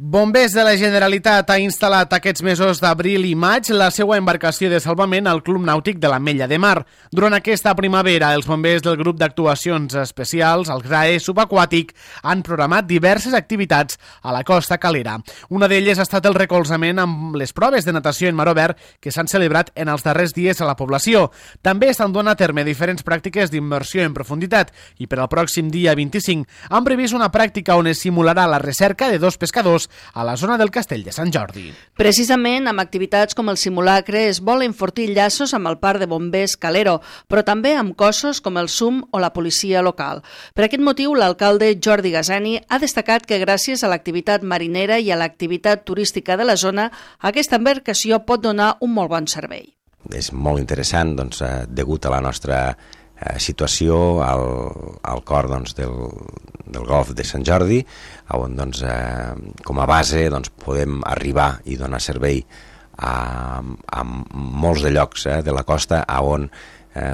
Bombers de la Generalitat ha instal·lat aquests mesos d'abril i maig la seva embarcació de salvament al Club Nàutic de l'Ametlla de Mar. Durant aquesta primavera, els bombers del grup d'actuacions especials, el GRAE subaquàtic, han programat diverses activitats a la costa calera. Una d'elles ha estat el recolzament amb les proves de natació en mar obert que s'han celebrat en els darrers dies a la població. També estan duent a terme diferents pràctiques d'immersió en profunditat i per al pròxim dia 25 han previst una pràctica on es simularà la recerca de dos pescadors a la zona del Castell de Sant Jordi. Precisament amb activitats com el simulacre es vol enfortir llaços amb el parc de bombers Calero, però també amb cossos com el SUM o la policia local. Per aquest motiu, l'alcalde Jordi Gasani ha destacat que gràcies a l'activitat marinera i a l'activitat turística de la zona, aquesta embarcació pot donar un molt bon servei. És molt interessant, degut a la nostra situació al cor del golf de Sant Jordi, on com a base podem arribar i donar servei a molts de llocs de la costa on,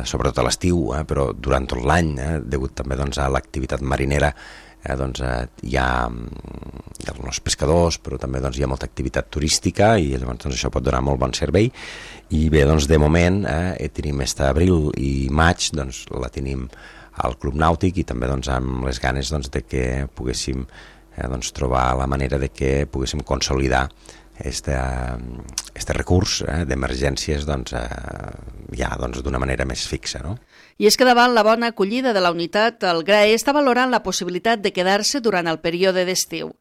sobretot a l'estiu, però durant tot l'any, degut també a l'activitat marinera, hi ha els pescadors, però també hi ha molta activitat turística i llavors això pot donar molt bon servei. I bé, de moment tenim abril i maig, la tenim al Club Nàutic i també amb les ganes de que poguéssim trobar la manera de que poguéssim consolidar este recurs d'emergències ja d'una manera més fixa, no? I és que davant la bona acollida de la unitat, el GRAE està valorant la possibilitat de quedar-se durant el període d'estiu.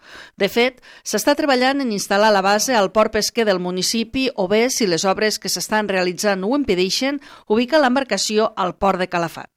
De fet, s'està treballant en instal·lar la base al port pesquer del municipi o bé, si les obres que s'estan realitzant ho impedeixen, ubica l'embarcació al port de Calafat.